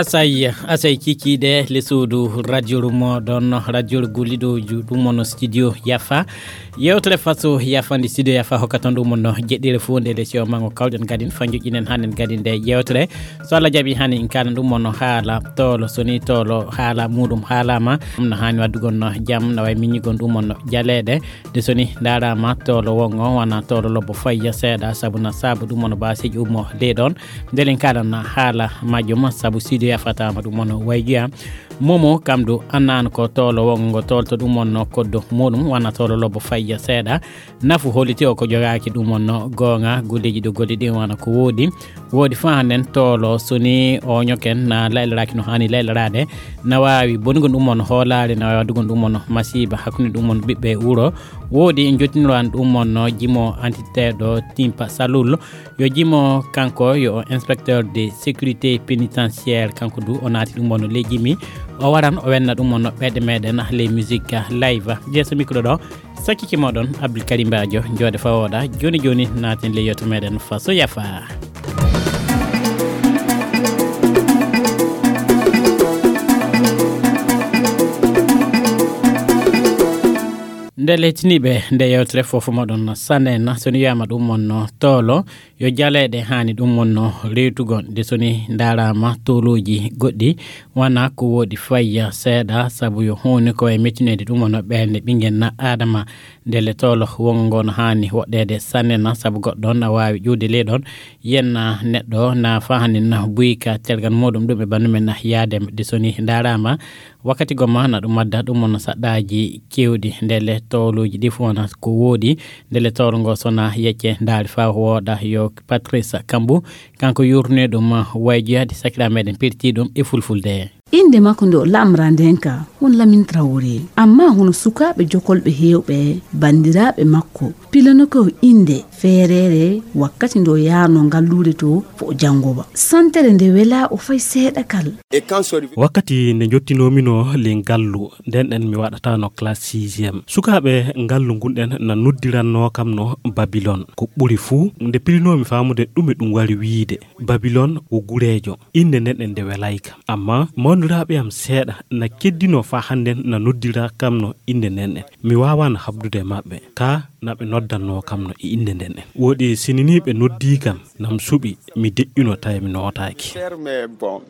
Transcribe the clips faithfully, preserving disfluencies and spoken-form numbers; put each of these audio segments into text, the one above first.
Asay, asay kikiɗe le suudu radio rumo ɗon radio gulliɗo ju-, ɗum on studio Yafa. Yewtere faso Yafa ndi studio Yafa hokka ton ɗum on jeɗɗire fuu nde le sio mango kawɗen gadin fa joƴƴinen hanen gadin nde yewtere. So Allah jaɓi hani in kalan ɗum on haala tolo, so ni tolo haala muɗum haalama. Ɗum no hani waɗugol no jam, no way miñigol ɗum on jaleeɗe. De so ni ndaarama tolo wongo wana tolo lobbo fayya seeɗa, sabu na sabu ɗum on baaseji ummo de ɗon. Ndelen kala na haala majjum, sabu studio Yafa tama ɗum on waygiya. Momo kam du annan ko tolo wongo tolto ɗum on koddo muɗum wana tolo lobbo fayya seeɗa. Nafu holliti o ko jogaaki ɗum on goonga, golleji ɗo golli ɗin wana ko woodi. Woodi fa hannden tolo so ni o ñoken na laylaraaki no hani laylarade, na waawi bonugol ɗum on hoolaare, na waawi waɗugol ɗum on masiiba hakkunde ɗum on ɓiɓɓe wuro. Woodi en jottiniraan ɗum on jimo antiteeɗo Timpa Salul. Yo jimo kanko yo inspecteur de sécurité pénitentiaire, kanko du o naati ɗum on ley jimi. O waran o wenna ɗum on ɓeɗe meɗen ley musique live. Jeeso micro ɗo, sakkiki moɗon Abdul Karim Badio, jooɗe fawoɗa. Joni joni naaten ley yewtere meɗen faso Yafa. Nde letiniɓe nde yewtere fofo moɗon sanena, so ni wiyama ɗum on no tolo, yo jaleeɗe hani ɗum on no rewtugol. De so ni ndaarama toloji goɗɗi wana ko woodi fayya seeɗa, sabu yo honi ko way mettinede ɗum on no ɓernde ɓinngel na adama. Ndele tolo wongo ngo no hani woɗɗede sanne na, sabu goɗɗo na waawi ƴuwde ley ɗon, yenna neɗɗo na fa hani na buyka tergal muɗum ɗum e banndum en na yaade. De so ni ndaarama wakkati gomma na ɗum adda ɗum on saɗɗaji kewɗi. Ndele toloji ɗi fof wona ko woodi. Ndele tolo ngo sona yecce ndaari fa wooɗa yo Patrice Kambu, kanko yurne ɗum wayji hade sakira meɗen pirti ɗum e fulfulde. Innde makko nde o lamra nden ka won Lamin Traoré. Amma hono sukaaɓe jokolɓe heewɓe banndiraaɓe makko pilano ko innde feereere wakkati nde o yaarno ngalluure to fo o janngowa. Santere nde welaa o fay seeɗa kal. Wakkati nde njottinoomi no le ngallu, nden ɗen mi waɗataano classe sixième. Sukaaɓe ngallu ngun ɗen na noddirannoo kam no Babilon. Ko ɓuri fuu, nde pilinoomi faamude ɗume ɗum wari wiide. Babilon wo gureejo. Innde nden ɗen nde welayka. Amma mawniraaɓe am seeɗa na keddinoo faa hannden na noddira kam no innde nden ɗen. Mi waawaano habdude e maɓɓe. Ka na ɓe noddannoo kam no e innde nden ɗen. Woodi sinini ɓe noddii kam, nam suɓi, mi deƴƴuno tawi mi nootaaki.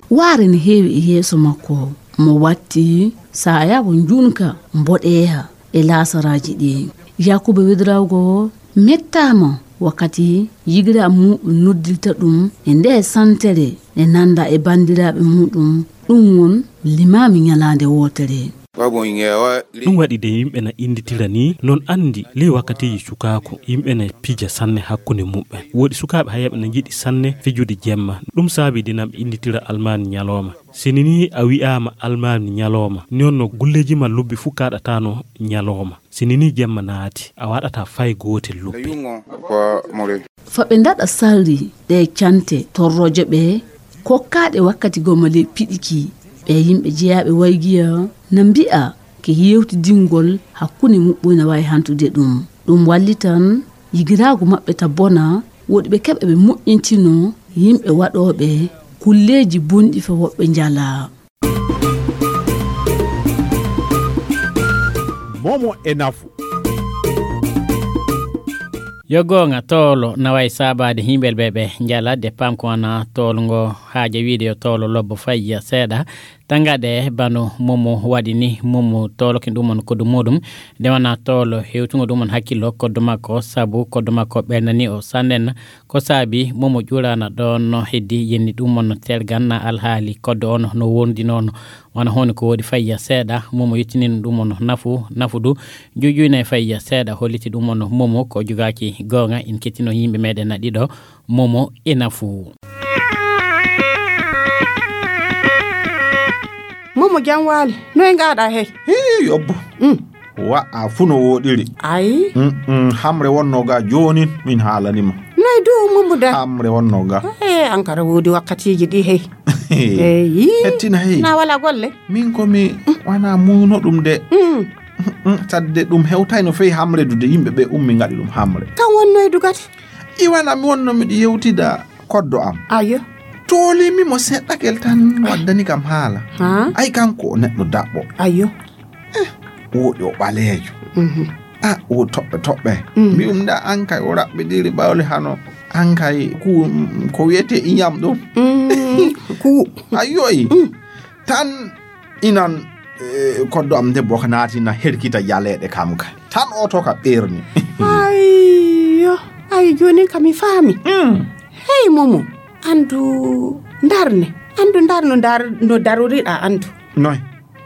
Waare ne heewi e yeeso makko. Mo watti saaya wo njuunka mboɗeeha e laasaraaji ɗi. Yakuba Wedrawgo mettaama wakkati yigiraaɓe muɗum noddirta ɗum e nde santere e nanda e banndiraaɓe muɗum. Ɗum won limaami ñalaande wootere. Ɗum waɗi de yimɓe na innditira ni, non anndi ley wakkatiiji cukaaku, yimɓe na pija sanne hakkunde muɓɓen. Woodi sukaaɓe hayaɓe na njiɗi sanne fijude jemma. Ɗum saabi de nam innditira almaami ñalooma. Sini ni a wi'aama almaami ñalooma, ni on no gulleeji ma lobbi fuu kaaɗataano ñalooma. Sini ni jemma naati, a waɗataa fay gootel lobbi. Fa ɓe ndaɗa sarri ɗe cante torroje ɓe kokkaaɗe wakkati goma ley piɗiki. Ɓe yimɓe jeyaaɓe waygiya na mbi'a ke yewtidingol hakkunde muɓɓoy na waawi hantude ɗum. Ɗum wallitan yigiraagu maɓɓe ta bona, woɗi ɓe keɓa ɓe moƴƴintino yimɓe waɗooɓe kulleeji bonɗi fa woɓɓe njala. Momo e nafu. Yo goonga, toolo na wayi saabaade yimɓe ɓe ɓe njala de pam ko wana toolo ngo haaja wiide yo toolo lobbo fayya seeɗa. Tangaɗe bano momo waɗi ni, momo toolo kin ɗum on koddu muɗum. De wana toolo hewtungo ɗum on hakkillo koddu makko, sabu koddu makko ɓernani o sannen. Ko saabi momo ƴuurana ɗon no heddi yenni ɗum on tergan na alhaali koddo on no wondinono. Wana honi ko woodi fayya seeɗa, momo yettinino ɗum on nafu, nafu du. Juujuyna e fayya seeɗa holliti ɗum on momo ko jogaaki goonga. In kettino yimɓe meɗen na ɗiɗo, momo e nafu. Momo jam waali, noy ngaɗa hey? Hii, yobbo. Mm. Wa a fu no woɗiri. Ay. Mm, mm, hamre wonno ga jonin min haalanima. Noy du mumbuda? Hamre wonno ga. Eh, ankara woodi wakkatiji ɗi hey. Eyi. Hettina hey. Na wala golle. Min ko mi wana muyno ɗum de. Mm. Mm, sadde ɗum hewtayno fey hamre du de yimɓe ɓe ummi ngaɗi ɗum hamre. Kan wonnoy du kadi? Iwana mi wonno miɗo yewtida koddo am. Ayo. Toolimi mo seɗɗakel tan, waddani kam haala. Ha? Ay, kanko o neɗɗo daɓɓo. Ayyo. Eh, woɗi o ɓaleejo. Mhm. Ah, o toɓɓe toɓɓe. Mm. Mbi'um da an kay o raɓɓiɗiri ɓawli hano. An kay ku, ko wiyete iñam ɗum. Mm, ku. Ayyo, i. Mm. Tan inan, eh, koddo am debbo ka naati na herkita jaleeɗe kam kay. Tan o to ka ɓerni. Ayyo, ay jooni ka mi faami. Mm. Hey, Momo, andu ndarne. Andu ndar no ndar-, no daroriɗa andu. Noy?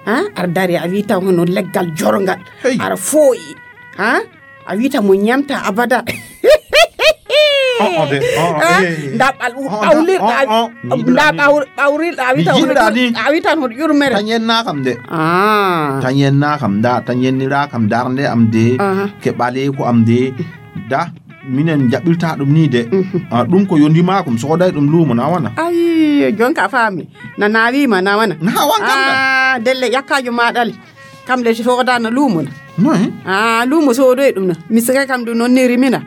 Ha? Ar dari a wi taw hono leggal jorngal. Hey. Ara fooyi. Ha? A wi taw mo ñamta abada. Oh, oh, de, oh, oh, ha? Eh. Nda ɓal-, oh, ɓawlirɗa, oh, oh, a wi-, nda ɓawr-, ɓawrilɗa a wi taw hono ƴur-, a wi tan hono ƴurmere. Tan yenna kam de. Ah. Tan yenna kam da, tan yennira kam darnde am de. Aha. Ke ɓaleeku am de. Da. Minen jaɓɓirta ɗum ni de. Mhm. Ah, ɗum ko yo ndimakum, sooday ɗum luumo na wana. Ay, jonka a faami. Na naawima na wana. Na wan kam na. Ah, delle ƴakkaajo ma ɗali. Kam le soodana luumo na. Noy? Ah, luumo soodoy ɗum na. Mi sika kam ɗum non ni rimina.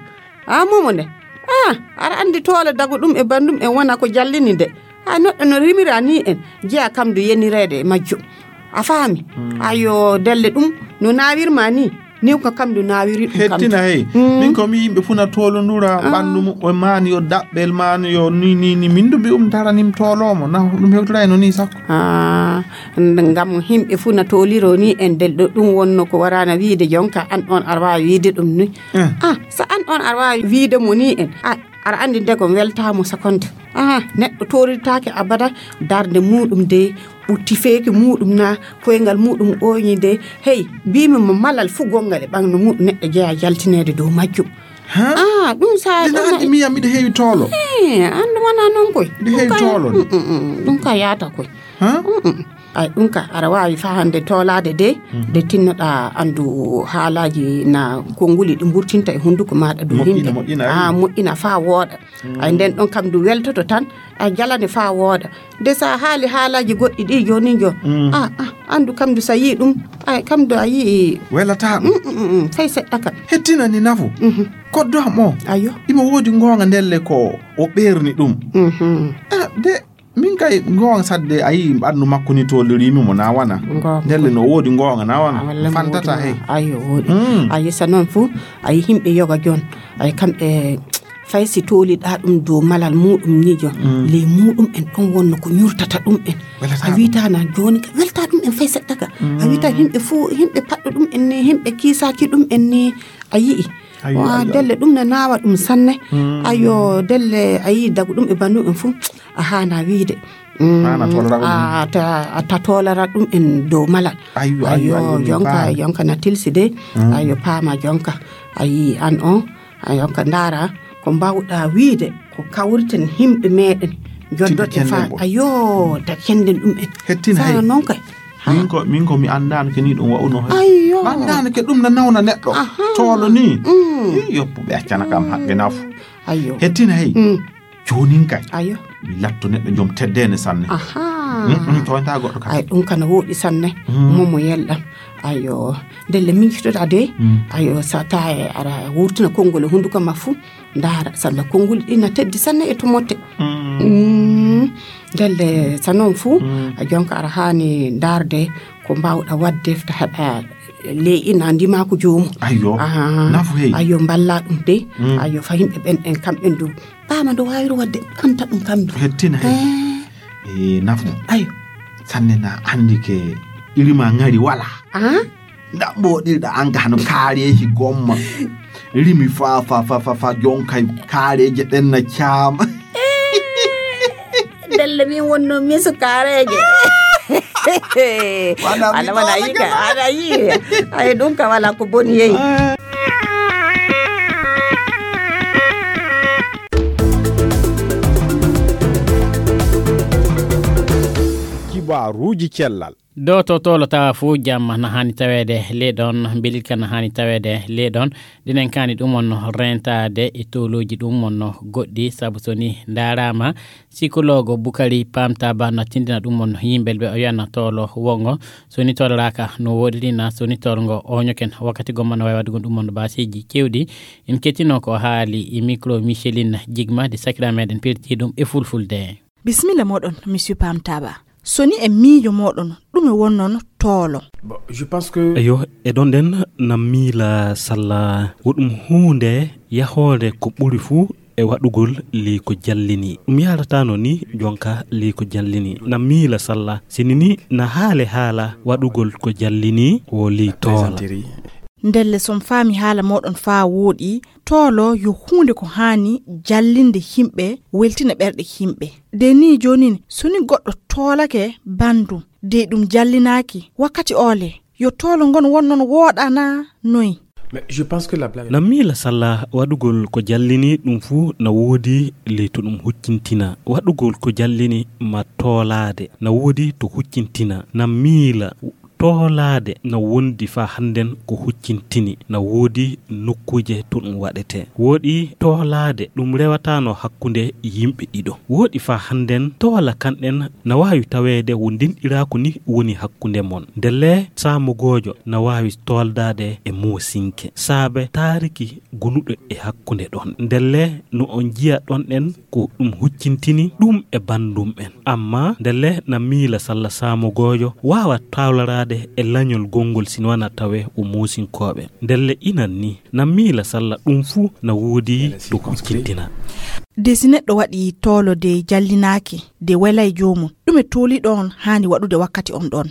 Ah, momo nde. Ah, aɗa anndi toole dago ɗum e banndum en wona ko jallini nde. Ah, neɗɗo no rimira ni en. Jeya kam du yenireede e majjum. A faami? Hmm. Ayo, delle ɗum no naawirma ni. Ni ko kam du naawiri ɗum kam. Hettina hey. Hmm. Min ko mi yimɓe fuu na toolondura. Ah. Ɓanndu muɓɓen maa ni yo daɓɓel maa ni yo ni, ni, ni. Min du mbi'um daranim tooloomo. Na ɗum hewtoray no ni sakko. Ah, n-, ngam yimɓe fuu na tooliro ni en del ɗo ɗum wonno ko warana wiide jonka an on aɗa waawi wiide ɗum ni. Eh. Ah, so an on aɗa waawi wiide mo ni en. Ah, aɗa anndi nde ko weltaamo sakonde. Aha, neɗɗo toorirtaake abada darnde muɗum de, ɓutti feeke muɗum na, koyngal muɗum ooñi de. Hey, mbimi mo malal fuu gonngal e ɓanndu muɗum neɗɗo jeya jaltineede dow majjum. Ha? Ah, ɗum sa ɗum anndi miya miɗo heewi toolo. Eh, anndu wona noon koy. Miɗo heewi toolo. Mm, mm, mm, ɗum ka yaata koy. Ha? Mm, mm. Ay, ɗum ka, aɗa waawi fahande toolaade de, mhm, de tinnoɗa anndu haalaaji na konnguli ɗi mburtinta e hunnduko maaɗa dow moƴƴina, himɓe. Moƴƴina, ay. Ah, moƴƴina faa wooɗa. Mm. Ay, nden ɗon kam ndu weltoto tan, a jalane faa wooɗa. De sa haali haalaaji goɗɗi ɗi jooni jo. Mm. Ah, ah, anndu kam ndu sa yii ɗum, ay, kam ndu a yii. Welataa ɗum. Mm, mm, mm, mm, fay seɗɗa kam. Hettina ni nafu. Mhm. Koddo am o. Ayo. Imo woodi ngoonga ndelle ko o ɓeerni ɗum. Mhm. Ah, de Min kay ngoonga sadde a yii ɓanndu makko ni tooliriimi mo na wana. Ngoonga. Ndelle no woodi ngoonga na wana. Ah, walla mo fantata woodi hey. Ayo woodi. Mm. A yii sa noon fuu, a yii himɓe yoga joon. Ay kamɓe fay si tooliɗa ɗum dow malal muɗum ni joon. Mm. Ley muɗum en ɗon wonno ko ñurtata ɗum en. Welata a ɗum. Wiita na jooni ka welta ɗum en fay seɗɗa ka. Mm. A wiita himɓe fuu, himɓe paɗɗo ɗum en ni, himɓe kiisaaki ɗum en ni. A yii. Ayo, wa ayo, delle ayo. Ɗum na naawa ɗum sanne. Mm. Ayo delle a yii dagu ɗum e bandu en fuu. A haana wiide. Mm, haana tolora ɗum. A ta, a ta tolora ɗum en dow malal. Ayyo, ayyo, ayyo, ayyo, mi jonka, faami. Jonka na tilsi de. Mm. Ayyo, paama jonka. A yii an on, a jonka ndaara ko mbawɗa wiide ko kawriten himɓe meɗen. Joddoɗe fa, ayyo, ta kenden ɗum en. Hettina hay. Sa non kay. Ha. Min ko, min ko mi anndaano ke ni ɗum wa'uno hay. Ayyo. Mi anndaano ke ɗum na nawna neɗɗo. Aha. Toolo ni. Mm. Ii, yoppuɓe accana kam haqqe nafu. Ayyo. Hettina hay. Mm. Joonin kay. Ayo. Mi latto neɗɗo joom teddeene sanne. Aha. Mm, mm, toonta goɗɗo kam. Ay, ɗum kana wooɗi sanne. Mm. Momo yelɗam. Ayo. Ndelle mincitoɗa de. Mm. Ayo, sa taye ara wurtina konngol e hunnduko ma fuu. Ndaara, salla konngol ɗi na teddi sanne e to motte. Mm. Mm. Ndelle sa noon fuu, mm, a jonka ara haani ndaarde ko mbaawɗa waɗde ta heɓa ley ina ndima ko joomu. Ayyo. Aha. Nafu hey. Ayyo, mballa ɗum de. Mm. Ayyo, fa yimɓe ɓen en kamɓen du. Paama ndo waawiri waɗde, anta ɗum kam du. Hettina hey. Eh. Eh, nafu. Ayo. Sanne na anndi ke irima ngari wala. Ah? Nda mboɗirɗa an ka hano kaareeji gomma. Rimi fa, fa, fa, fa, fa, jonkay kaareeje ɗen na caama. Ndelle min wonno misu kaareeje. Wala mi wala, wala ɗo yi ka, wala yi. Ay, ɗum ka wala ko boni yeyi. Ah. Kibaaruuji cellal. Dow to tolo tawa fuu jamma na haani taweede ley ɗon, mbelilka na haani taweede ley ɗon. Ɗinen kaani ɗum on reentaade e tolooji ɗum on goɗɗi, sabu so ni ndaaraama, sikoloogo Bukari Paamtaaba na tindina ɗum on yimɓe ɓe o wiyana tolo wongo. So ni toloraaka no woodiri na, so ni tolngo o ñoken wakkati gomma no waawi waɗugol ɗum on baaseeji keewɗi. En kettino ko haali e micro Micheline Jigma de sakira meɗen pelti ɗum e fulfulde. Bisimilla moɗon, Monsieur Pam Taba. So ni e miijo moɗon, ɗume wonnon toolo? Bon, je pense que Eyo, e ɗon ɗen na miila salla wo ɗum huunde yahoore ko ɓuri fuu e waɗugol ley ko jallini. Ɗum yaratano ni jonka ley ko jallini. Na miila salla, sini ni na haale haala waɗugol ko jallini wo ley toola. Ndelle, son faami haala moɗon faa wooɗi, toolo yo huunde ko haani jallinde himɓe, weltina ɓerɗe himɓe. De ni joonin, so ni goɗɗo toolake bandum, de ɗum jallinaaki wakkati oole, yo toolo ngon won non wooɗa na noy? Na miila salla waɗugol ko jallini ɗum fuu na woodi ley to ɗum huccintina. Waɗugol ko jallini ma toolaade na woodi to huccintina. Na miila toolaade na wondi faa hannden ko huccintini, na woodi nokkuuje to ɗum waɗetee. Wooɗi toolaade ɗum rewataano hakkunde yimɓe ɗiɗo. Wooɗi faa hannden toola kanɗen na waawi taweede wo ndenɗiraaku ni woni hakkunde mon. Ndelle saamugoojo na waawi tooldaade e moosinke saabe taariki gonuɗo e hakkunde ɗon. Ndelle no on njiya ɗon ɗen ko ɗum huccintini ɗum e banndum en. Amma ndelle na miila salla saamugoojo waawa tawlaraade e lañol gonngol sinwana tawe o moosinkooɓe. Ndelle inan ni na miila salla ɗum fuu na woodi to huccintina. De si neɗɗo waɗi toolo de jallinaaki, de welay joomum, ɗume tooliiɗo on haani waɗude wakkati on ɗon?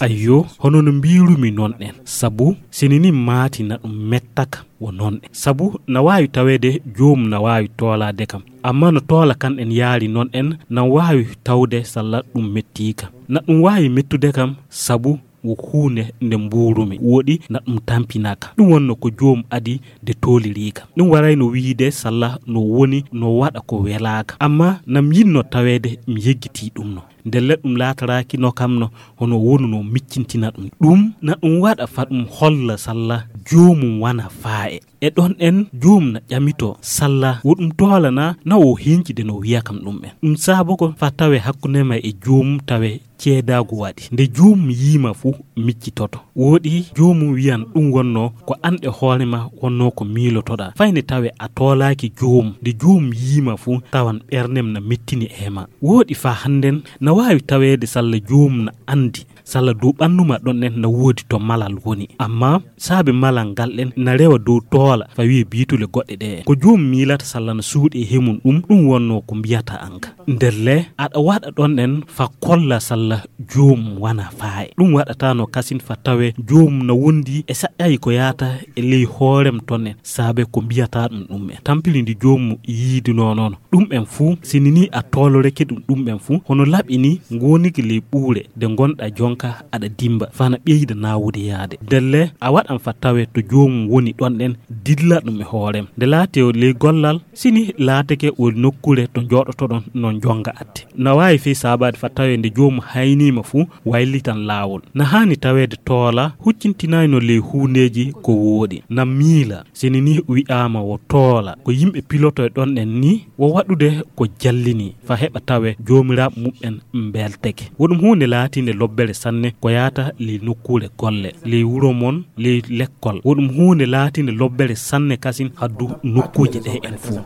Ayyo, hono no mbiirumi non ɗen, sabu sini ni maati na ɗum mettaka wo non ɗen. Sabu na waawi taweede joomum na waawi toolaade kam. Amma no toola kan ɗen yaari non ɗen, na waawi tawde salla ɗum mettiika. Na ɗum waawi mettude kam sabu wo huunde nde mbuurumi, woɗi na ɗum tampinaka. Ɗum wonno ko joomum adi de tooliriika. Ɗum warayno wiide salla no woni no waɗa ko welaaka. Amma na mi yinno taweede mi yeggitii ɗum no. Ndelle ɗum laataraaki no kam no hono wonu no miccintina ɗum. Ɗum na ɗum waɗa fa ɗum holla salla joomum wana faa'e. E ɗon ɗen joomum na ƴamito salla wo ɗum toolana na o hincide no wiya kam ɗum en. Ɗum saabo ko fa tawe hakkunde ma e joomum tawe ceedaagu waɗi. Nde joomum yiima fu miccitoto. Woɗi joomum wiyan ɗum wonno ko an e hoore ma wonno ko miilotoɗaa. Fay nde tawe a toolaaki joomum, nde joomum yiima fu tawan ɓernem na mettini e ma. Woɗi fa hannden na waawi taweede salla joomum na andi salla dow ɓannu ma ɗon ɗen na woodi to malal woni. Amma saabe malal ngal ɗen na rewa dow toola fa wiye biitule goɗɗe ɗe. Ko joomum miilata salla na suuɗi e hemum ɗum, ɗum wonno ko mbiyata an ka. Ndelle aɗa waɗa ɗon ɗen fa kolla salla joomum wana faa'e. Ɗum waɗata no kasin fa tawe joomum na wondi e saƴƴayi ko yaata e ley hoorem ton en saabe ko mbiyata ɗum ɗum en. Tampiri ndi joomum yiidunoo non. Ɗum en fuu, sini ni a tooloreke ɗum ɗum en fuu, hono laɓi ni ngoniki ley ɓuure de ngonɗa jonka aɗa dimba, fa na ɓeyda naawude yaade. Ndelle a waɗan fa tawe to joomum woni ɗon ɗen, dilla ɗum e hoorem. Nde laate o ley gollal, sini laateke o nokkure to jooɗotoɗon non jonga atte. Na waawi fey saabaade fa tawe nde joomum hayniima fuu, waylitan laawol. Na haani taweede toola huccintinayno ley huundeeji ko wooɗi. Na miila, sini ni wi'aama wo toola, ko yimɓe piloto e ɗon ɗen ni, wo waɗude ko jallini, fa heɓa tawe joomiraaɓe muɓɓen mbelteke. Wo ɗum huunde laatiinde lobbere sanne ko yaata ley nokkuure golle, ley wuro mon, ley lekkol. Wo ɗum huunde laatiinde lobbere sanne kasin haddu nokkuuje ɗe en fuu.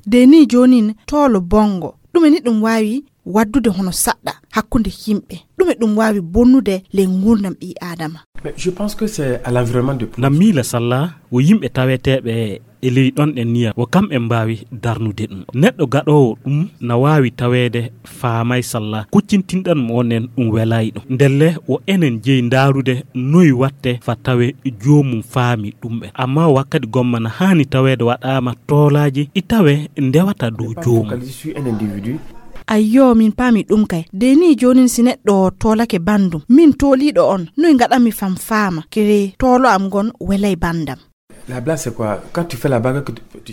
De ni joonin toolo bonngo, ɗume ni ɗum waawi waddude hono saɗɗa hakkunde yimɓe? Ɗume ɗum waawi bonnude ley nguurndam ɓii Aadama? Na miila salla wo yimɓe taweteeɓe e ley ɗon ɗen niya, wo kamɓe mbaawi darnude ɗum. Neɗɗo gaɗoowo ɗum na waawi taweede faamay salla kuccintinɗan mo onen ɗum welay ɗum. Ndelle wo enen jeyi ndaarude noy watte fa tawe joomum faami ɗum ɓen. Amma wakkati gomma na haani taweede waɗaama toolaaji ɗi tawe ndewata dow joomum. Ayyo, min paami ɗum kay. De ni joonin si neɗɗo toolake banndum, min tooliiɗo on, noy ngaɗanmi fam faama kere toolo am ngon welay banndam?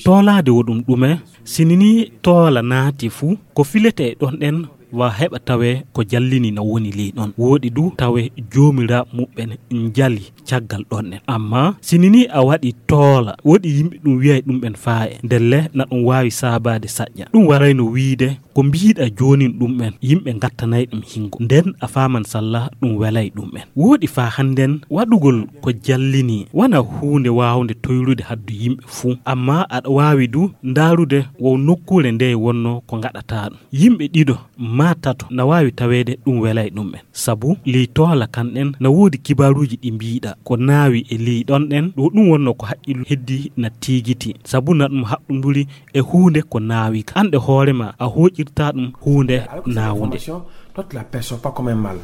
Toolaade wo ɗum ɗume? Sini ni toola naati fu, ko filete e ɗon ɗen wa heɓa tawe ko jallini na woni ley ɗon. Wooɗi du tawe joomiraaɓe muɓɓen njali caggal ɗon ɗen. Amma sini ni a waɗi toola, woɗi yimɓe ɗum wi'ay ɗum ɓen faaye. Ndelle na ɗum waawi saabaade saƴƴa. Ɗum warayno wiide ko mbiiɗa joonin ɗum ɓen, yimɓe ngattanay ɗum hingo. Nden a faaman salla ɗum welay ɗum ɓen. Wooɗi faa hannden waɗugol ko jallini wana huunde waawnde toyrude haddu yimɓe fuu. Amma aɗa waawi du ndaarude wo nokkuure nde wonno ko ngaɗataa ɗum. Yimɓe ɗiɗo maa tato na waawi taweede ɗum welay ɗum ɓen. Sabu ley toola kan ɗen na woodi kibaaruuji ɗi mbiiɗa ko naawi e ley ɗon ɗen, ɗo ɗum wonno ko haqqillu heddi na tiigiti. Sabu na ɗum haɓɓunduri e huunde ko naawi ka. An ɗe hoore ma a hooƴirta ɗum huunde naawunde. Toi, tu la perçois pas comme un mal.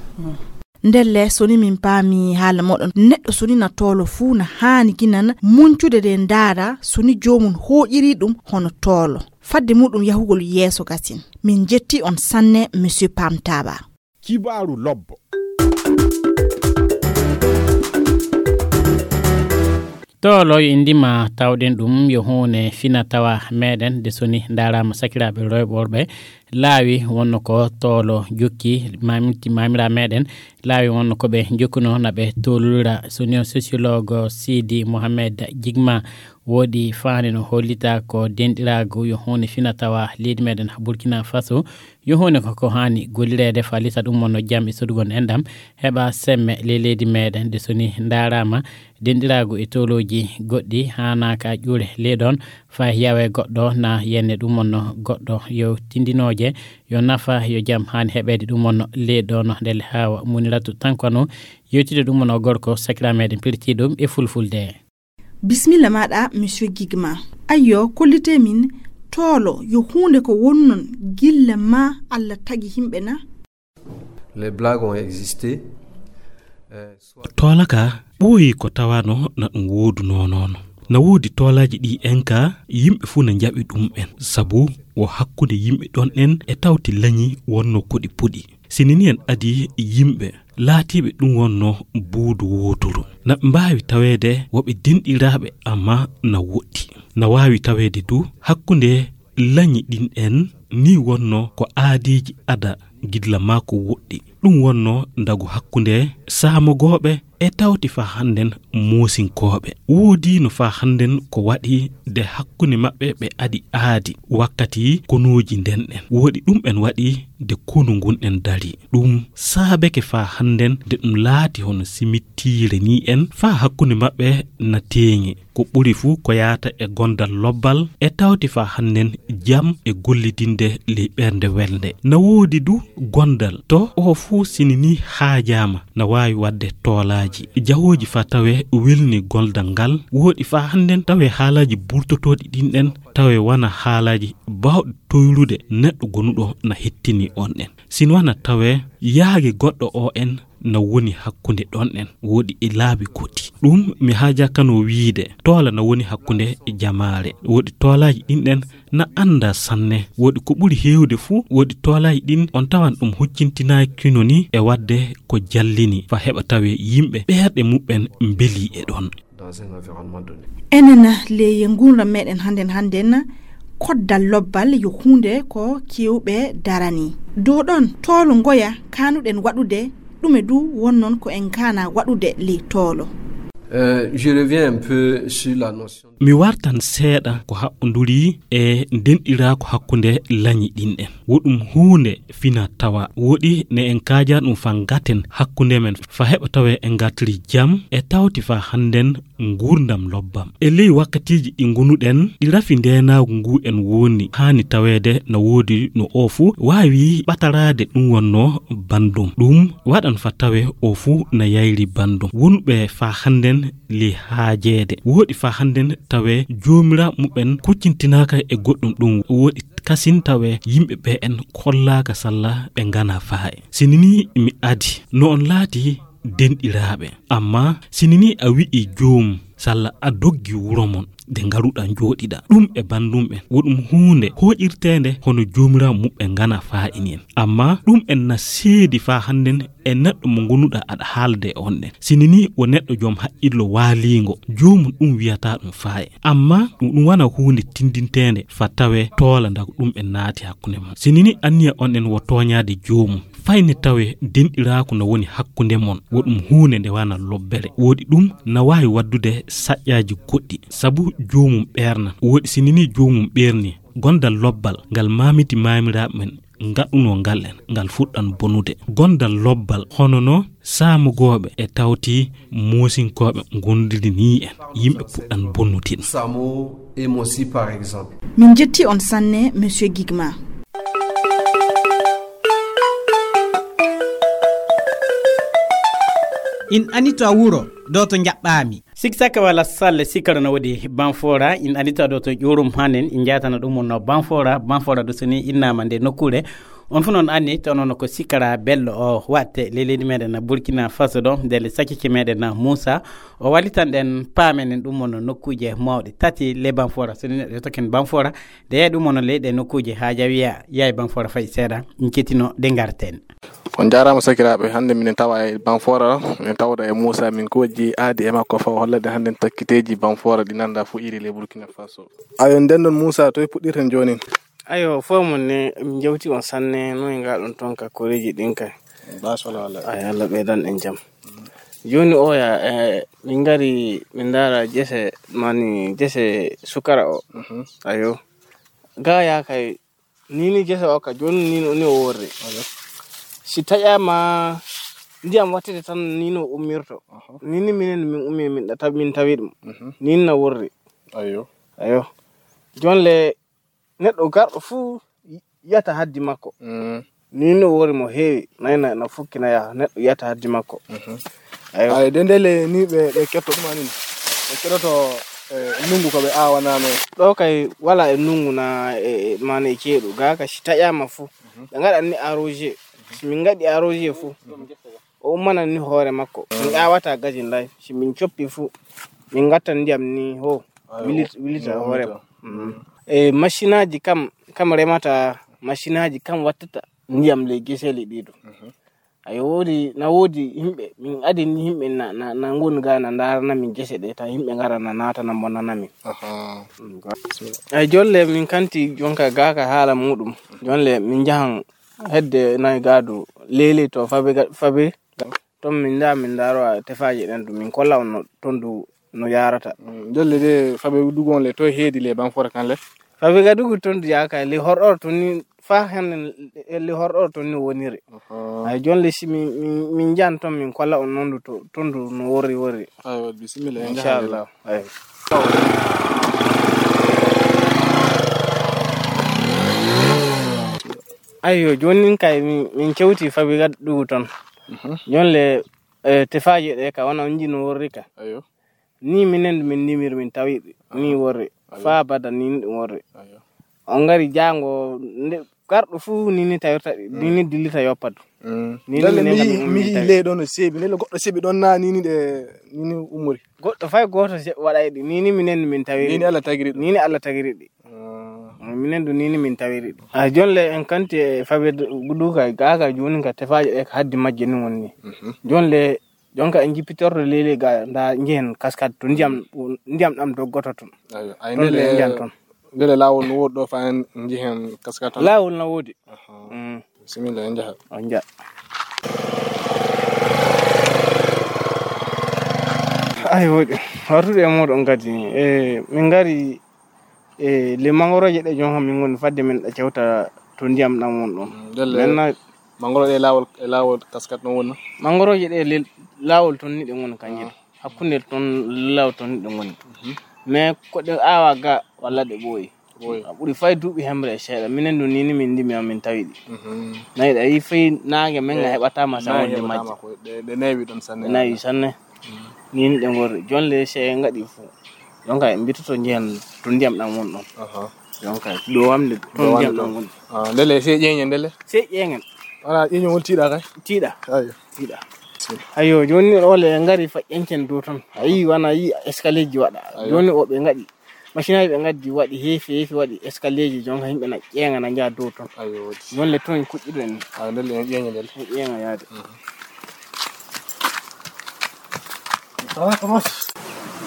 Ndelle, so ni min paami haala moɗon, neɗɗo so ni na toolo fuu na haani ginan muncude de ndaara so ni joomum hooƴiri ɗum hono toolo. Fadde muɗum yahugol yeeso gasin. Min jetti on sanne, Monsieur Pam Taba. Kibaaru lobbo. Toolo yo indima tawɗen ɗum yo huune fina tawa meɗen de so ni ndaarama sakiraaɓe rewɓe worɓe laawi wonno ko toolo jokki mamiti mamira meɗen laawi wonno ko ɓe jokkuno na ɓe tolulira so ni o sociologue Sidi Mohamed Jigma woodi faande no hollita ko denɗiraagu yo huunde fina tawa leydi meɗen Burkina Faso, yo huunde ko ko haani gollireede faalisa ɗum wonno jam e sodugol enɗam heɓa semme ley leydi meɗen de so ni ndaarama denɗiraagu e tolooji goɗɗi haanaaka ƴuure ley ɗon faa yawe goɗɗo na yenne ɗum wonno goɗɗo yo tindinooje yo nafa yo jam haani heɓeede ɗum wonno ley ɗon ndelle haawa muniratu tankano yewtide ɗum wonno gorko sakira meɗen pirtiiɗum e fulfulde. Bismilla maɗa, Monsieur Gigma. Ayyo, kollite min, toolo, yo huunde ko wonnon gilla ma Alla tagi himɓe na? Les blagues ont existé. Euh, soit Toola ka ɓooyi ko tawano na ɗum woodunoo noon. Na woodi toolaaji ɗi en ka yimɓe fuu na njaɓi ɗum en, sabu wo hakkunde yimɓe ɗon en e tawti lañi wonno ko ɗi puɗi. Sinini en adi yimɓe laatiiɓe ɗum wonno buudu wooturu. Na ɓe mbaawi taweede wo ɓe denɗiraaɓe amma na woɗɗi. Na waawi taweede du hakkunde lañi ɗin en ni wonno ko aadiiji ada gilla maa ko woɗɗi. Ɗum wonno ndagu hakkunde saamogooɓe e tawti faa hannden moosinkooɓe. Woodiino faa hannden ko waɗi de hakkunde maɓɓe ɓe adi aadi wakkati konuuji nden ɗen. Woɗi ɗum en waɗi de konu ngun en dari. Ɗum saabeke faa hannden de ɗum laati hono simittiire ni en faa hakkunde maɓɓe na teeŋi. Ko ɓuri fuu ko yaata e gondal lobbal e tawti faa hannden jam e gollidinde ley ɓernde welnde. Na woodi du gondal to oo fuu sini ni haajaama na waawi waɗde toolaaji. Jahooji faa tawe welni gondal ngal woɗi faa hannden tawe haalaaji burtotooɗi ɗin ɗen tawe wana haalaaji baawɗi toyrude neɗɗo gonuɗo na hettini on ɗen. Sini wana tawe yaage goɗɗo oo en na woni hakkunde ɗon en woɗi e laabi goɗɗi. Ɗum mi haajakano wiide toola na woni hakkunde jamaare. Woɗi toolaaji ɗin ɗen na annda sanne. Woɗi ko ɓuri heewde fuu woɗi toolaaji ɗin on tawan ɗum huccintinaakino ni e waɗde ko jallini faa heɓa tawe yimɓe ɓeerɗe muɓɓen mbelii e ɗon. Dans un environnement donné. Enen ley nguurndam meɗen hannden hannden koddal lobbal yo huunde ko kewɓe darani. Dow ɗon toolo ngoya kanuɗen waɗude ɗume du wonnon ko en kana waɗude ley toolo. Euh, je reviens un peu sur la notion. Mi wartan seeɗa ko haɓɓonduri e ndenɗiraaku hakkunde lañi ɗin ɗen. Wo ɗum huunde fina tawa woɗi ne en kaaja ɗum faa ngaten hakkunde men faa heɓa tawe en ngatri jam e tawti faa hannden nguurndam lobbam. E ley wakkatiiji ɗi ngunuɗen ɗi rafi ndeenaagu ngu en woni haani taweede na woodi no oo fuu waawi ɓataraade ɗum wonno banndum. Ɗum waɗan faa tawe oo fuu na yayri banndum. Wonɓe faa hannden ley haajeede. Woɗi faa hannden tawe joomiraaɓe muɓɓen kuccintinaaka e goɗɗum ɗum woɗi kasin tawe yimɓe ɓe en kollaaka salla ɓe ngana faaye. Sini ni mi adi no on laati denɗiraaɓe. Amma sini ni a wi'i joom Salla a doggi wuro mon, de ngaruɗa njooɗiɗa. Ɗum e bandum en, wo ɗum huunde hooƴirteende hono joomiraawo muɓɓen ngana faa'ini en. Amma ɗum en na seedi faa hannden e neɗɗo mo ngonuɗa aɗa haalde e on ɗen. Sini ni wo neɗɗo jom haqqillo waaliingo, joomum ɗum wiyata ɗum faaye. Amma ɗum, ɗum wana huunde tindinteende fa tawe toola ndago ɗum en naati hakkunde mon. Sini ni anniya on ɗen wo tooñaade joomum. Fay ne tawe denɗiraaku no woni hakkunde mon, wo ɗum huunde nde wana lobbere. Woodi ɗum na waawi waddude saƴƴaaji goɗɗi, sabu joomum ɓeernan. Woodi sini ni joomum ɓeerni, gondal lobbal ngal maamiti maamiraaɓe men ngaɗunoo ngal en, ngal fuɗɗan bonude. Gondal lobbal hono no saamugooɓe e tawti moosinkooɓe ngondiri ni en, yimɓe puɗɗan bonnude. Samo et Mosi, par exemple. Min jetti on sanne, Monsieur Gigma. In anito a wuro, do to njaɓɓaami. Siksaka wala salle, sikkara no wodi Banfora, in anito do to ƴurum hanen, in jatana ɗum no Banfora, Banfora do soni innama nde nokkure. On fu non anni, to non ko sikkara bello o watte le leydi meɗen na Burkina Faso ɗo, nde le sakike meɗen na Moussa, o wallitan ɗen paamen en ɗum no nokkuje mawɗe tati le Banfora, soni neɗɗo token Banfora, de yahi ɗum no leyɗe nokkuje ha jawiya, yahi Banfora fay seeɗa, in ketino de ngarten. On njaaraama sakiraaɓe, hannde minen tawa e Banfora, min tawda e Moussa, min kojji aadi e makko faw hollade hannde takkiteeji Banfora ɗi nannda fof iri le Burkina Faso. Ayo, nden ɗon Moussa, toye puɗɗirten joonin? Ayo, fof mon ne, min njewti on sanne, no e ngaɗon toon ka koreeji ɗin kay. Bas wala wala. Ayo, Allah ɓeydan en jam. Jooni oya, eh, min ngari, min ndaara jese, mani jese sukara o. Mhm. Ayo. Ga ya kay, ni ni jese o ka, jooni ni no, ni o worri. Ayo. Si taƴaama ndiyam wattete tan, ni no ummirto. Aha. Ni ni minen min ummi, min ɗa-, min tawi ɗum. Mhm. Ni na worri. Ayo. Ayo. Jooni le, neɗɗo garɗo fuu yiyata haddi makko. Mm. Ni no wori mo heewi, nayna na fukkina yaha, neɗɗo yiyata haddi makko. Mhm. Ayo. Ay, de ndele ni ɓe, ɓe ketto ɗum anini. Ɓe kettoto, eh, nungu ko ɓe aawanano. Ɗo kay wala e nungu na, e, e, mane e ceeɗu. Ga ka si taƴaama fu, mhm, ɓe ngaɗan ni arrosé. Si min ngaɗi arrosé fu, o ummanan ni hoore makko. Min aawata gaji lay. Si min coppi fu, min ngattan ndiyam ni ho. Ayo, wilita, wilita hoore makko. Mm. E masinaaji kam, kam remata, masinaaji kam wattata ndiyam ley geseli ɗiɗo. Mhm. Ayo, woodi, na woodi yimɓe, min adini yimɓe na, na, na ngoni ga na ndarana min gese ɗe, ta yimɓe ngara na naata na mbonana min. Aha. Mm, ga-, ay jolle min kanti jonka ga ka haala muɗum. Jolle min njahan hedde nayi gadu lele to fabe ga-, fabe. Ton min nda, min ndaro tefaaje ɗen ɗum, min kolla on no, ton du no yarata. Mm, jolle de fabe dugon le to heedi le Banfora kan le. Fabe ga dugu ton du yaka le horɗor ton ni fa hen le horɗor ton ni woniri. Aha. Ay jooni le si min, min, min njan ton min kolla on non du to, ton du no worri worri. Aywa, bisimilla, en njaha. Inchallah. Ay. Ayyo, jooni nin kay min, min kewti fabi gaddugu ton. Mhm. Jooni le, eh, tefaaji ɗe ka wona on jino worri ka. Ayyo. Ni minen min nimir min tawi ni worri. Ayyo. Fa bada ni ɗum worri. Ayyo. On ngari jaango nde garɗo fuu ni ni tawirta, ni ni dillita yoppa du. Mm. Ni ni ndelle minen mi, kam mi min yii tawi. Ley ɗo no seeɓi, ndelle goɗɗo seeɓi ɗon na ni ni ɗe, ni ni umori. Goɗɗo fay gooto se-, waɗay ɗi. Ni ni minen min tawi. Ni ni Allah tagiri ɗum. Ni ni Allah tagiri ɗi. Ah. Minen du ni ni min tawiri ɗi. A jooni le en kanti e fabe du-, duka gaga jooni ka tefaaje ɗe ka haddi majje ni wonni. Mhm. Jooni le jonka en jippitorto lele ga nda njehen kaskade to ndiyam, ndiyam ɗam doggoto ton. Aywa. Ay, ton ndele, le njan ton. Ndele laawol no woodi ɗo fa en njehen kaskade ton? Laawol na woodi. Aha. Mm. Bisimilla, en njaha. On njaha. Ay, woodi. Wartude e mooɗon kadi. E, min ngari e le mangoroje ɗe, jon, min ngoni fadde min ɗa cewta to ndiyam ɗam won ɗon. Mm, ndelle. Maintenant, mangoro ɗe laawol, e laawol kaskat ɗon woni? Mangoroje ɗe le laawol ton ni ɗe ngoni kanji. Ah. Hakkunde ton laawol ton ni ɗe ngoni. Mhm. Mais ko ɗe aawa ga walla ɗe ɓooyi. Ɓooyi. A ɓuri fay duuɓi hemre e seeɗa. Minen du ni ni min ndimi on min tawi ɗi. Mhm. Nayi ɗa yi fay naange men nga heɓataama sa wonde majje. Naange heɓataama ko ɗe, ɗe neewi ɗon sanne. Ɗe neewi sanne. Mm. Ni ni ɗe ngorri. Jon le se en ngaɗi fu. Jonka en mbitoto njehen to ndiyam ɗam won ɗon. Aha. Jonka ɗo wamde to ndiyam ɗam woni. Ah, ndele se ƴeeñen ndele? Se ƴeeñen. Wala ƴeeñol tiiɗa kay? Tiiɗa. Ayyo. Tiiɗa. Ayo, joni ɗo le ngari faƴƴancen dow ton. A yi wana yi escalier ji waɗa. Ayo. Joni o ɓe ngaɗi. Machine aji ɓe ngaddi waɗi heefi heefi waɗi escalier ji jonka yimɓe na ƴeeŋa na njaha dow ton. Ayo, wodi. Joni le ton en kuɗɗiɗo en. Ayo, ndelle en ƴeeŋa ndelle. En ƴeeŋa yaade. Mhm.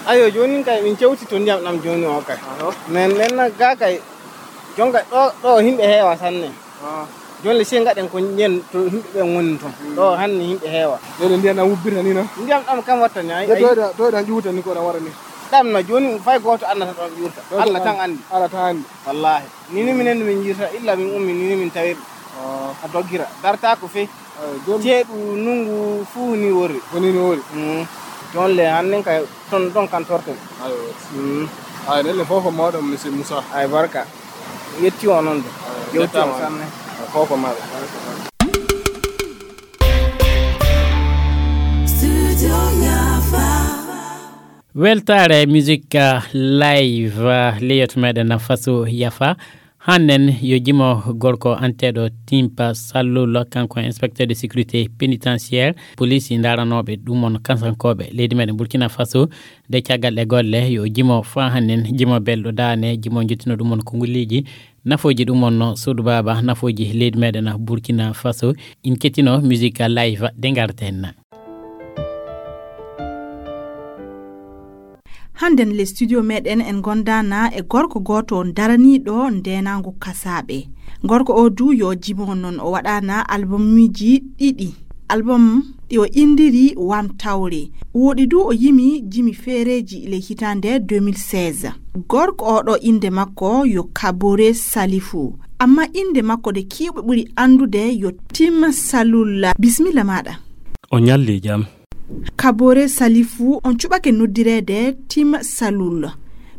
Ayo, joni kay min cewti to ndiyam ɗam joni o kay. Aho. Men, men na ga kay. Jonka ɗo, ɗo yimɓe heewa sanne. Ah. Joni le sey ngaɗen ko yen to yimɓe ɓen woni ton. Mm. Ɗo hanni yimɓe heewa. Ndelle ndiyam ɗam wubbirta ni, no? Ndiyam ɗam kam watta ni, ay, ay. Toyɗa, toyɗa juuta ni ko ɗam wara ni. Ɗam na joni fay gooto annata ɗon ƴuurta. Ɗon Allah ɗon tan anndi. Allah tan anndi. Wallaahi. Ni, ni minen min njirta, illa min ummi, ni, ni min tawir. Ah. A doggira. Dartaako fey. Ayo, joni. Ceeɗu ndunngu fuu ni wori. Woni ni wori. Mm. Joni le, hannen kay ton, ɗon kan torten. Ayo. Mm. Ayo, ndelle fof ko mawɗo, monsieur Moussa. Ay, barka. Yetti o noon de. Ayo, yewti o yettaama sanne. Fof ko mawɗo. Studio Yafa. Weltaare musique, uh, live, uh, leyot meɗen Faso Yafa. Hannen yo jimo gorko anteɗo Timpa Sallulo, kanko inspecteur de sécurité pénitentiaire, police ndaranooɓe ɗum on kansankooɓe leydi meɗen Burkina Faso. De caggal ɗe golle yo jimo fa hannen, jimo belɗo daane, jimo jottino ɗum on kongolleeji, nafooji ɗum on no suudu baaba, nafooji leydi meɗen Burkina Faso. In kettino musique live de ngarten. Hannden le studio meɗen en gondana e gorko gooto daraniiɗo ndeenaangu kasaaɓe. Gorko o du yo jimo non o waɗana albumuji ɗiɗi. Album o indiri Wam Tawre. Woɗi du o yimi jimi feereji le hitande deux mille seize. Gorko o ɗo inde makko yo Kabore Salifu. Amma inde makko de kiwɓe ɓuri andude yo Tim Salulla. Bismilla maɗa. O ñalli jam. Kabore Salifu, on cuɓake noddireede Tim Salul.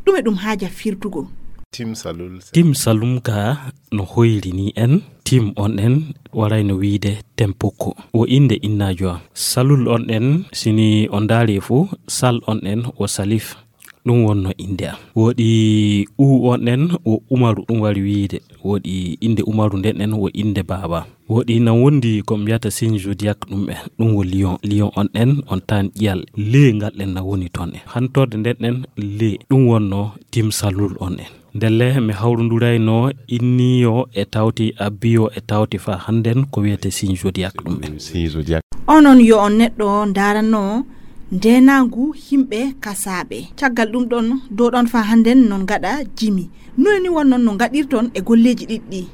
Ɗume ɗum haaja firtugo? Tim Salul. Tim Salum ka no hoyri ni en. Tim on en waray no wiide Tempoko. Wo innde innaajo am. Salul on en, sini on ndaari fu, Sal on en wo Salif. Ɗum wonno innde am. Woɗi U on en wo Umaru, ɗum wari wiide. Woɗi innde Umaru nden en wo innde baaba. Woɗi nan wondi ko mbiyata signe zodiaque ɗum en. Ɗum wo Lion. Lion on en, on tan ƴiyal. Le ngal ɗen na woni ton en. Hantorde nden en, le. Ɗum wonno Tim Salul on en. Ndelle mi hawrundurayno inniyo e tawti, abbiyo e tawti fa hannden ko wiyete signe zodiaque ɗum en. Signe zodiaque. Onon yo on neɗɗo ndaarano ndeenaangu yimɓe kasaaɓe. Caggal ɗum ɗon, dow ɗon fa hannden non ngaɗa jimi. Noy ni wonnon no ngaɗirton e golleeji ɗiɗɗi?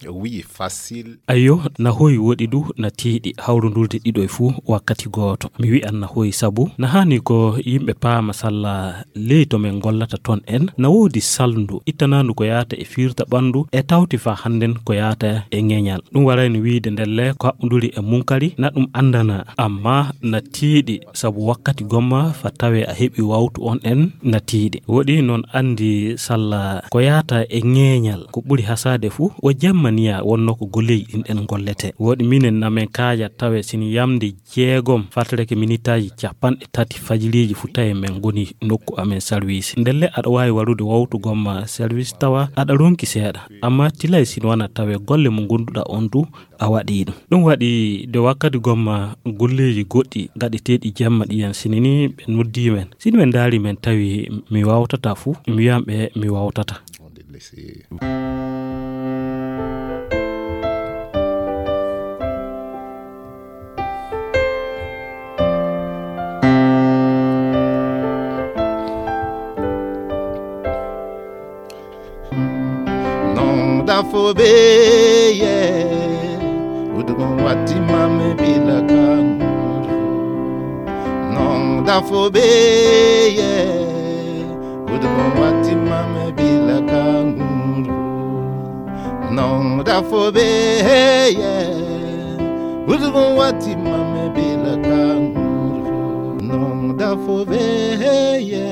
Oui, facile. Ayo, na hoyi woɗi du, na tiiɗi hawrundurde ɗiɗo e fuu wakkati gooto. Mi wi'an na hoyi sabu na haani ko yimɓe paama salla ley to men gollata ton en. Na woodi salndu ittanandu ko yaata e fiirta ɓanndu e tawti fa hannden ko yaata e ŋeñal. Ɗum warayno wiide ndelle ko haɓɓunduri e munkari, na ɗum anndana. Amma na tiiɗi sabu wakkati gomma fa tawe a heɓi wawtu on en na tiiɗi. Woɗi noon anndi salla ko yaata e ŋeeñal ko ɓuri hasaade fuu, o jemmaniya wonno ko golleeji ɗin ɗen gollete. Woɗi minen na men kaaja tawe sini yamde jeegom fartereke minitaaji capanɗe tati fajiriiji fuu tawi men ngoni nokku amen sarwiisi. Ndelle aɗa waawi warude wawtu gomma sarwiisi tawa aɗa ronki seeɗa. Amma tilay sini wana tawe golle mo ngonduɗa on du a waɗi ɗum. Ɗum waɗi nde wakkati gomma golleeji goɗɗi gaɗeteeɗi jemma ɗiyan sinini ɓe noddi men. Sini ɓe ndaari men tawi mi wawtata fuu, mi wiyan ɓe mi wawtata. Non da fo be ye. Udugun wati mame bila kangur. Non da fo be ye. Udugun wati mame bila kangur. Non da fo be ye. Udugun wati mame bila kangur. Non da fo be ye.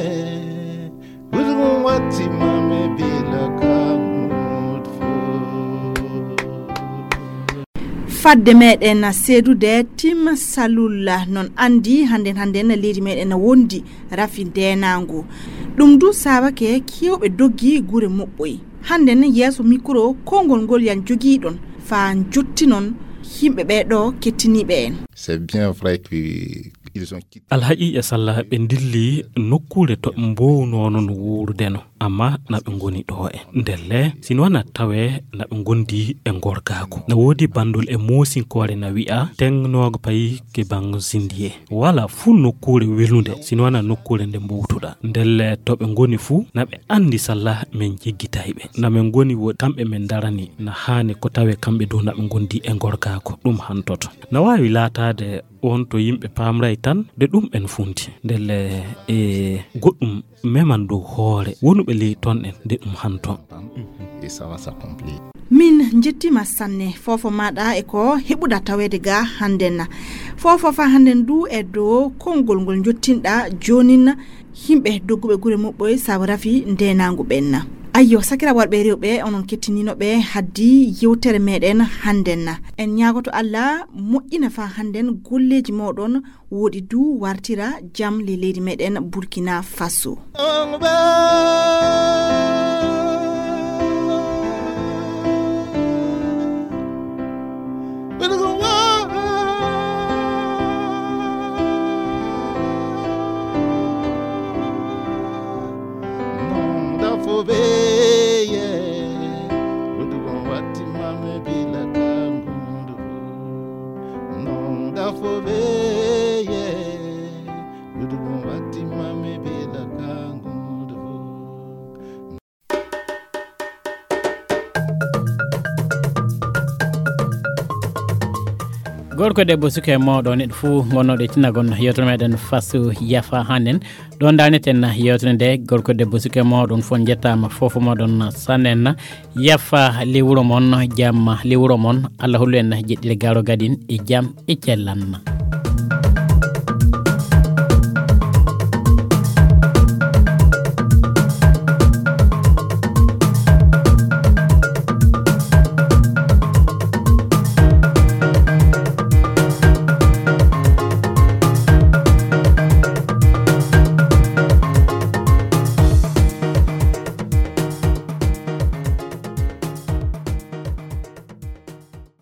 Fadde meɗen seedude Tim Salulla, non andi hannden hannden leydi meɗen na wondi rafi ndenaangu. Ɗum du saabake kewɓe doggi gure moɓɓoy. Hannden yeeso mikro kongol ngol yan jogiiɗon fa jottinon Yimɓe ɓee ɗo kettiniiɓe en. C'est bien vrai que ils ont quitté. Alhaqiiqa salla ɓe ndilli nokkuure to ɓe mbownoono no wuurudeno, amma na ɓe ngoni ɗo e ndelle, sino na tawe na ɓe ngondi e ngorgaaku. Na woodi banndol e moosinkoore na wi'a, "Teŋnoogo payi ke bango zindiye." Wala fuu nokkuure welunde, sino na nokkuure nde mbowtuɗa. Ndelle to ɓe ngoni fuu, na ɓe anndi salla men jiggitay ɓe. Na ɓe ngoni wo kamɓe men darani, na haani ko tawe kamɓe dow na ɓe ngondi e ngorgaaku. Ɗum hantoto. Na waawi laataade on to yimɓe paamray tan de ɗum en funti. Ndelle e goɗɗum meman dow hoore wonuɓe ley ton en de ɗum hanto. Et ça va s'accomplir. Min njettima sanne foofo maɗa e ko heɓuɗa taweede ga hannden na. Foofo fa hannden du e dow konngol ngol njottinɗa joonin na yimɓe dogguɓe gure muɓɓoy sabu rafi ndenangu ɓen na. Ayyo, sakira warɓe rewɓe, onon kettinino ɓe haddi yewtere meɗen hannden na. En ñaagoto Allah moƴƴina fa hannden golleeji moɗon woɗi du wartira jam le leydi meɗen Burkina Faso. Gorko debbo suka e mawɗo neɗɗo fuu gonnoɗo e tinagol yewtere meɗen fasu yafa hannen. Ɗon daaneten yewtere nde. Gorko debbo suka e mawɗo on fof njettaama foofo moɗon sannen. Yafa le wuro mon, jam le wuro mon. Allah hollu en jeɗɗile garo gadin e jam e cellan.